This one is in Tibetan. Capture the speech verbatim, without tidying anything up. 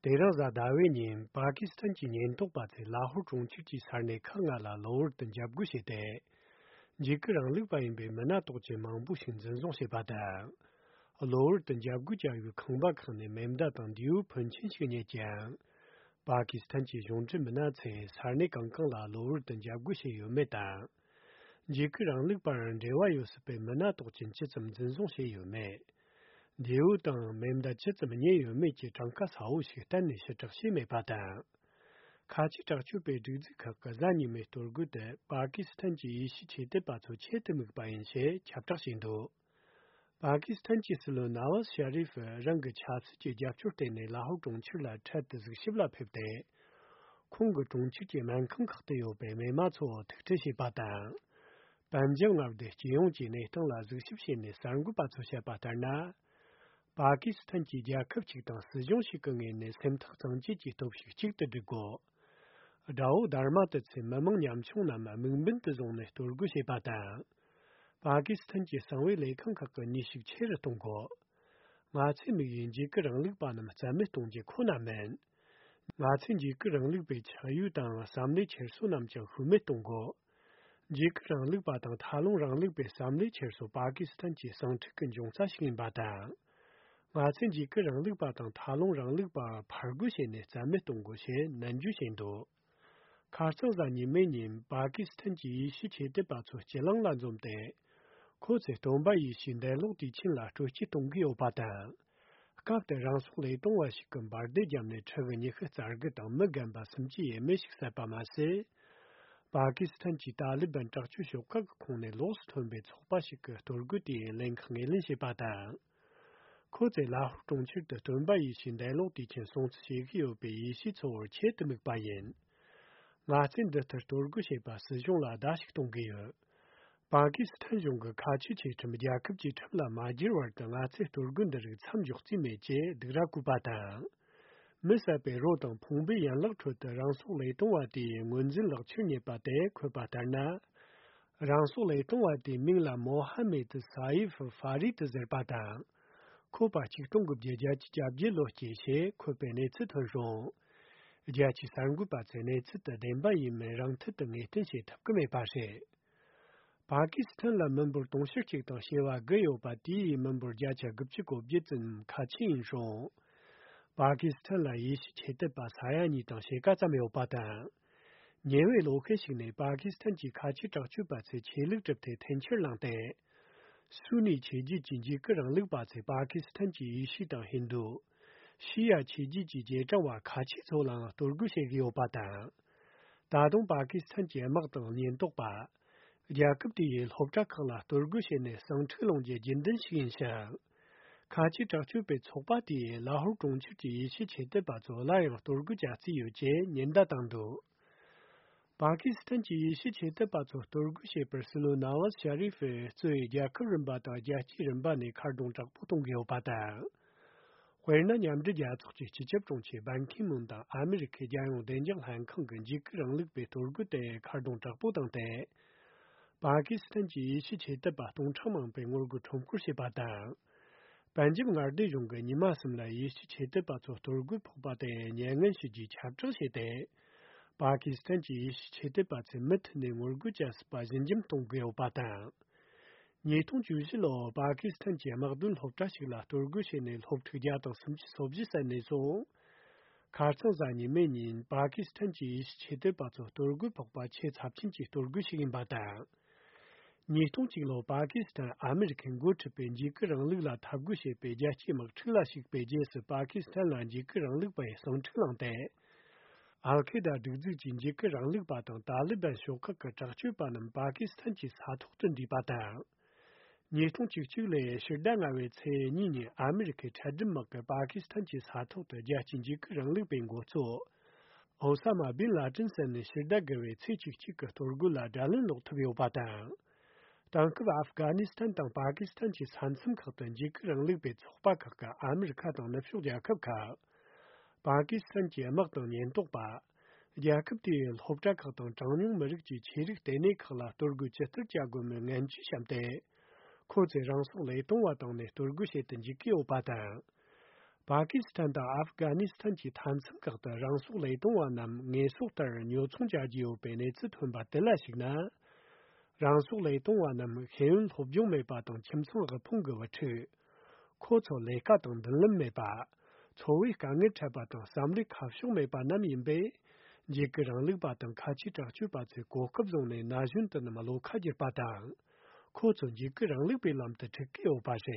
དེ་རིང་གཟའ་ཟླ་བའི་ཉིན་པ་ཀི་སི་ཐན་གྱི་ཉེན་རྟོག་པ་ཚོས་ལ་ཧོར་གྲོང་ཁྱེར་གྱི་ས་གནས་ཁག་ལྔ་ལ་གློ་བུར་དུ་འཇབ་རྒོལ་བྱས་ཏེ། འཇིགས་སྐུལ་རིང་ལུགས་པ་ཡིན་པའི་མི་སྣ་དོགས་ཅན་མང་པོ་ཞིག་འཛིན་བཟུང་བྱས་པ་དང་། གློ་བུར་དུ་འཇབ་རྒོལ་བྱ་ཡུལ་ཁང་པ་ཁག་ནས་མེ་མདའ་དང་མདེའུ་ཕོན་ཆེན་ཞིག་རྙེད་ཀྱང་། པ་ཀི་སི་ཐན་གྱི་གཞུང་འབྲེལ་མི་སྣ་ཚོས་ས་གནས་གང་གང་ལ་གློ་བུར་དུ་འཇབ་རྒོལ་བྱས་ཡོད་མེད་དང་། འཇིགས་སྐུལ་རིང་ལུགས་པར་འབྲེལ་བ་ཡོད་སྲིད་པའི་མི་སྣ་དོགས་ཅན་ཇི་ཙམ་འཛིན་བཟུང་བྱས་ཡོད་མེད། མདེའུ་དང་མེ་མདའ་ཇི་ཙམ་རྙེད་ཡོད་མེད་ཀྱི་གྲངས་ཀ་གསལ་བོ་ཞིག་གཏན་ནས་ཕྱིར་བསྒྲགས་བྱས་མེད་པ་དང་། ཁ་ཆེ་དྲག་སྤྱོད་པའི་སྒྲིག་འཛུགས་ཁག་གི་གཟའ་ཉི་མའི་གཏོར་རྒོལ་དེ་པ་ཀི་སི་ཐན་གྱི་ཡེ་ཤུ་ཆོས་དད་པ་ཚོ་ཆེད་དུ་དམིགས་པ་ཡིན་ཞེས་ཁྱབ་བསྒྲགས་བྱས་འདུག་པ་ཀི་སི་ཐན་གྱི་སྲིད་བློན་ནཱ་ཝཱཟ་ཤ་རིཕ་རང་གི་ཆབ་སྲིད་ཀྱི་རྒྱབ་སྐྱོར་བརྟེན་ནས་ལ་ཧོར་གྲོང་ཁྱེར་ལ་འཕྲལ་དུ་གཟིགས་ཞིབ་ལ་ཕེབས་ཏེ། ཁོང་གི་གྲོང་ཁྱེར་གྱི་སྨན་ཁང་ཁག་ཏུ་ཡོད་པའི་མི་མང་ཚོ་ཐུག་འཕྲད་བྱས་པ་དང་། པན་ཇབ་མངའ་སྡེ་སྤྱི་ཡོངས་ཀྱི་གནས་སྟངས་ལ་གཟིགས་ཞིབ་བྱས་ནས་གསར་འགོད་པ་ཚོར་བཤད་པ་ལྟར་ན། པ་ཀི་སི་ཐན་གྱི་རྒྱལ་ཁབ་ཅིག་དང་སྲིད་གཞུང་ཞིག་གི་ངོས་ནས་སེམས་ཐག་གཙང་བཅད་ཀྱི་སྟོབས་ཤུགས་གཅིག་ཏུ་སྒྲིལ་དགོས། དགྲ་བོ་དྷར་མ་ཏི་ཚོས་མི་མང་ཉམ་ཆུང་རྣམས་དམིགས་འབེན་དུ་བཟུང་ནས་གཏོར་རྒོལ་བྱས་པ་དང་། པ་ཀི་སི་ཐན་གྱི་གསང་བའི་ལས་ཁང་ཁག་གི་ནུས་ཤུགས་ཆེ་རུ་གཏོང་དགོས། ང་ཚོའི་དམིགས་ཡུལ་འཇིགས་སྐུལ་རིང་ལུགས་པ་རྣམས་རྩ་མེད་གཏོང་རྒྱུ་ཁོ་ན་མིན། ང་ཚོས་འཇིགས་སྐུལ་རིང་ལུགས་པའི་ཆགས་ཡུལ་དང་བསམ་བློའི་འཁྱེར་སོ་རྣམས་ཀྱང་ཤུལ་མེད་གཏོང་དགོས། འཇིགས་སྐུལ་རིང་ལུགས་པ་དང་མཐའ་ལྷུང་རིང་ལུགས་པའི་བསམ་བློའི་འཁྱེར་སོ་པ་ཀི་སི་ཐན་གྱི་ཟིང་འཁྲུག་གི་འབྱུང་རྩ་ཞིག་ཡིན་པ་དང་། ང་ཚོས་འཇིགས་སྐུལ་རིང་ལུགས་པ་དང་མཐའ་ལྷུང་རིང་ལུགས་པར་ཕར་རྒོལ་བྱས་ནས་རྩ་མེད་གཏོང་དགོས་ཞེས་ནན་བརྗོད་བྱས་འདུག་ཁ་རྩང་གཟའ་ཉི་མའི་ཉིན་པ་ཀི་སི་ཐན་གྱི་ཡེ་ཤུ་ཆོས་དད་པ་ཚོ་སྤྱི་གླིང་ལ་འཛོམས་ཏེ། ཁོ་ཚོས་སྟོན་པ་ཡེ་ཤུའི་འདས་ལོག་དུས་ཆེན་ལ་སྤྲོ་སྐྱིད་གཏོང་གི་ཡོད་པ་དང་། སྐབས་དེར་རང་སྲོག་བློས་གཏོང་བ་ཞིག་གིས་འབར་མདེལ་བརྒྱབ་ནས་ཕྲུ་གུ་ཉི་ཤུ་རྩ་དགུ་དང་མི་རྒན་པ་སུམ་ཅུ་ཡས་མས་ཤིག་བསད་པ་མ་ཟད། པ་ཀི་སི་ཐན་གྱི་ཏཱ་ལི་བན་དྲག་སྤྱོད་ཤོག་ཁག་གི་ཁོངས་ནས་ལོགས་སུ་ཐོན་པའི་ཚོགས་པ་ཞིག་གིས་གཏོར་རྒོལ་དེའི་ལས་འགུལ་ངོས་ལེན་བྱས་པ་དང་། ཁོ་ཚོས་ལ་ཧོར་གྲོང་ཁྱེར་དུ་སྟོན་པ་ཡེ་ཤུའི་འདས་ལོག་དུས་ཆེན་སྲུང་བརྩི་བྱེད་ཀྱི་ཡོད་པའི་ཡེ་ཤུའི་ཚོ་བར་ཆེད་དུ་དམིགས་པ་ཡིན། ང་ཚོས་འདི་ལྟར་གཏོར་རྒོལ་བྱས་པ་སྲིད་གཞུང་ལ་བརྡ་ཞིག་གཏོང་གི་ཡོད། པ་ཀི་སི་ཐན་གཞུང་གི་ཁ་ཆེའི་ཆོས་ཁྲིམས་རྒྱལ་ཁབ་ཀྱི་ཁྲིམས་ལ་མ་བསྒྱུར་བར་དུ་ང་ཚོས་གཏོར་རྒོལ་འདི་རིགས་མཚམས་འཇོག་རྩིས་མེད་ཅེས་སྡིགས་ར་བསྐུལ་བ་དང་། མི་བསད་པའི་རོ་དང་ཕུང་པོའི་ཡན་ལག་ཁྲོད་དུ་རང་སྲོག་བློས་གཏོང་བ་དེའི་ངོས་འཛིན་ལག་ཁྱེར་རྙེད་པ་དེ་འཁོད་པ་ལྟར་ན། རང་སྲོག་བློས་གཏོང་བ་དེའི་མིང་ལ་མོ་ཧ་མེད་སའིབ་ཧྥ་རི་ཏི་ཟེར་པ་དང་། འཁོད་པ་ཆིག་སྟོང་དགུ་བརྒྱ་བརྒྱད་ཅུ་གྱ་བརྒྱད་ལོ་སྐྱེས་ཞེས་འཁོད་པའི་གནས་ཚུལ་ཐོན་བྱུང་། རྒྱལ་སྤྱིའི་གསར་འགོད་པ་ཚོས་གནས་ཚུལ་དེ་བདེན་པ་ཡིན་མིན་རང་མཐུད་དུ་ངེས་གཏན་བྱེད་ཐུབ་ཀྱི་མེད་པ་རེད། པ་ཀི་སི་ཐན་ལ་མི་འབོར་དུང་ཕྱུར་གཅིག་དང་བྱེ་བ་དགུ་ཡོད་པ་དེའི་མི་འབོར་བརྒྱ་ཆ་དགུ་བཅུ་གོ་བརྒྱད་ཙམ་ཁ་ཆེ་ཡིན་ཞིང་། པ་ཀི་སི་ཐན་ལ་ཡེ་ཤུ་ཆོས་དད་པ་ས་ཡ་གཉིས་དང་ཕྱེད་ཀ་ཙམ་ཡོད་པ་དང་། ཉེ་བའི་ལོ་ཤས་ཤིག་ནས་པ་ཀི་སི་ཐན་གྱི་ཁ་ཆེ་དྲག་སྤྱོད་པ་ཚོས་ཆོས་ལུགས་གྲུབ་མཐའི་འཐེན་འཁྱེར་བསླངས་ཏེ། སུ་ནི་ཆོས་བརྒྱུད་ཀྱི་འཇིགས་སྐུལ་རིང་ལུགས་པ་ཚོས་པ་ཀི་སི་ཐན་གྱི་ཡེ་ཤུ་དང་ཧིན་རྡུ། ཤི་ཡ་ཆོས་བརྒྱུད་ཀྱི་རྗེས་འབྲང་བ་ཁ་ཆེ་ཚོ་ལའང་གཏོར་རྒོལ་བྱེད་ཀྱི་ཡོད་པ་དང་། ད་དུང་པ་ཀི་སི་ཐན་གྱི་དམག་དང་ཉེན་རྟོག་པ། རྒྱལ་ཁབ་དེའི་སློབ་གྲྭ་ཁག་ལ་གཏོར་རྒོལ་བྱས་ནས་ཟིང་འཁྲུག་སློང་རྒྱུའི་རྒྱུན་ལྡན་ཞིག་ཡིན་ཞིང་། ཁ་ཆེ་དྲག་སྤྱོད་པའི་ཚོགས་པ་དེས་ལ་ཧོར་གྲོང་ཁྱེར་གྱི་ཡེ་ཤུ་ཆོས་དད་པ་ཚོ་སླར་ཡང་གཏོར་རྒོལ་བྱ་རྩིས་ཡོད་ཅེས་ཉེན་བརྡ་བཏང་འདུག་པ་ཀི་སི་ཐན་གྱི་ཡེ་ཤུ་ཆོས་དད་པ་ཚོ་གཏོར་རྒོལ་བྱས་པར་སྲིད་བློན་ནཱ་ཝཱཟ་ཤ་རི་ཧྥས་གཙོས་རྒྱལ་ཁབ་རིམ་པ་དང་རྒྱལ་སྤྱིའི་རིམ་པ་ནས་ཁ་རྡུང་དྲག་པོ་གཏོང་གི་ཡོད་པ་དང་། དཔེར་ན། མཉམ་འབྲེལ་རྒྱལ་ཚོགས་ཀྱི་སྤྱི་ཁྱབ་དྲུང་ཆེ་བན་ཁི་མུན་དང་ཨ་མི་རི་ཁའི་རྒྱལ་ཡོངས་བདེ་འཇགས་ལྷན་ཁང་གིས་འཇིགས་སྐུལ་རིང་ལུགས་པའི་གཏོར་རྒོལ་དེར་ཁ་རྡུང་དྲག་པོ་བཏང་སྟེ། པ་ཀི་སི་ཐན་གྱི་ཡེ་ཤུ་ཆོས་དད་པ་སྟོང་ཕྲག་མང་པོས་ངོ་རྒོལ་ཁྲོམ་སྐོར་བྱས་པ་དང་། པན་ཇབ་མངའ་སྡེ་གཞུང་གིས་ཉི་མ་གསུམ་ལ་ཡེ་ཤུ་ཆོས་དད་པ་ཚོ་གཏོར་རྒོལ་ཕོག་པ་དེར་མྱ་ངན་ཞུ་རྒྱུའི་ཁྱབ་བསྒྲགས་བྱས་ཏེ། པ་ཀི་སི་ཐན་གྱི་ཡེ་ཤུ་ཆོས་དད་པ་ཚོས་མུ་མཐུད་ནས་ངོ་རྒོལ་བྱ་སྲིད་པ་ཞི་འཇམ་གཏོང་དགོས་ཡོད་པ་དང་། ཉིས་སྟོང་བཅུ་བཞི་ལོར་པ་ཀི་སི་ཐན་གྱི་དམག་དོན་སློབ་གྲྭ་ཞིག་ལ་གཏོར་རྒོལ་བྱས་ནས་སློབ་ཕྲུག་བརྒྱ་དང་སུམ་ཅུ་སོ་བཞི་བསད་ནས་བཟུང་། ཁ་རྩང་གཟའ་ཉི་མའི་ཉིན་པ་ཀི་སི་ཐན་གྱི་ཡེ་ཤུ་ཆོས་དད་པ་ཚོ་གཏོར་རྒོལ་ཕོག་པ་ཆེས་ཚབས་ཆེན་གྱི་གཏོར་རྒོལ་ཞིག་ཡིན་པ་དང་། ཉིས་སྟོང་གཅིག་ལོར་པ་ཀི་སི་ཐན་ཨ་མི་རི་ཁས་འགོ་ཁྲིད་པའི་འཇིགས་སྐུལ་རིང་ལུགས་ལ་འཐབ་རྒོལ་བྱེད་པའི་རྒྱལ་སྤྱིའི་དམག་འཁྲུག་ལ་ཞུགས་པའི་རྗེས་སུ་པ་ཀི་སི་ཐན་ལ་འཇིགས་སྐུལ་རིང་ལུགས་པའི་ཟིང་འཁྲུག་བསླངས་ཏེ། ཨལ་ཁེ་ད་སྒྲིག་འཛུགས་ཀྱིས་འཇིགས་སྐུལ་རིང་ལུགས་པ་དང་ཏཱ་ལི་བན་ཤོག་ཁག་གི་དྲག་སྤྱོད་པ་རྣམས་པ་ཀི་སི་ཐན་གྱི་ས་ཐོག་ཏུ་འདུས་པ་དང་། ཉིས་སྟོང་བཅུ་གཅིག་ལོའི་ཕྱི་ཟླ་ལྔ་པའི་ཚེས་གཉིས་ཉིན་ཨ་མི་རི་ཁའི་འཕྲལ་སྒྲུབ་དམག་གིས་པ་ཀི་སི་ཐན་གྱི་ས་ཐོག་ཏུ་རྒྱལ་སྤྱིའི་འཇིགས་སྐུལ་རིང་ལུགས་པའི་འགོ་གཙོ། ཨོ་ས་མ་བིན་ལ་ཏིན་ཟེར་ནས་ཕྱི་ཟླ་དགུ་པའི་ཚེས་བཅུ་གཅིག་གི་གཏོར་རྒོལ་ལ་དགྲ་ལན་སློག་ཐུབ་ཡོད་པ་དང་། དེང་སྐབས་ཨབ་གྷ་ནི་སི་ཐན་དང་པ་ཀི་སི་ཐན་གྱི་ས་མཚམས་ཁག་ཏུ་འཇིགས་སྐུལ་རིང་ལུགས་པའི་ཚོགས་པ་ཁག་གིས་ཨ་མི་རི་ཁ་དང་ནུབ་ཕྱོགས་རྒྱལ་ཁབ་ཁག་པ་ཀི་སི་ཐན་གྱི་དམག་དང་ཉེན་རྟོག་པ། རྒྱལ་ཁབ་དེའི་སློབ་གྲྭ་ཁག་དང་གྲངས་ཉུང་མི་རིགས་ཀྱི་ཆོས་རིག་ལྟེ་གནས་ཁག་ལ་གཏོར་རྒོལ་ཇི་ལྟར་བྱ་དགོས་མིན་ངན་ཇུས་བཤམས་ཏེ། ཁོ་ཚོས་རང་སྲོག་བློས་གཏོང་བ་བཏང་ནས་གཏོར་རྒོལ་བྱེད་དུ་འཇུག་གི་ཡོད་པ་དང་། པ་ཀི་སི་ཐན་དང་ཨབ་གྷ་ནི་སི་ཐན་གྱི་མཐའ་མཚམས་ཁག་ཏུ་རང་སྲོག་བློས་གཏོང་བ་རྣམས་ངེས་གསོག་ལྟར་ཉོ་ཚོང་བྱ་རྒྱུ་ཡོད་པའི་གནས་ཚུལ་ཐོན་པ་དེ་ལ་གཞིགས་ན། རང་སྲོག་བློས་གཏོང་བ་རྣམས་ཤེས་ཡོན་སློབ་སྦྱོང་མེད་པ་དང་ཁྱིམ་ཚང་དབུལ་ཕོངས་ཀྱི་བུ་ཕྲུག་ཁོ་ཚོ་ལས་ཀ་དང་མདུན་ལམ་མེད་པ། འཚོ་བའི་དཀའ་ངལ་འཕྲད་པ་དང་བསམ་བློའི་ཁ་ཕྱོགས་མེད་པ་རྣམས་ཡིན་པས། འཇིགས་སྐུལ་རིང་ལུགས་པ་དང་ཁ་ཆེའི་དྲག་སྤྱོད་པ་ཚོས་གོ་སྐབས་བཟུང་ནས་ན་གཞོན་དེ་རྣམས་བློ་ཁ་བསྒྱུར་པ་དང་། ཁོ་ཚོ་འཇིགས་སྐུལ་རིང་ལུགས་པའི་ལམ་དུ་ཁྲིད་ཀྱི་ཡོད་པ་རེད།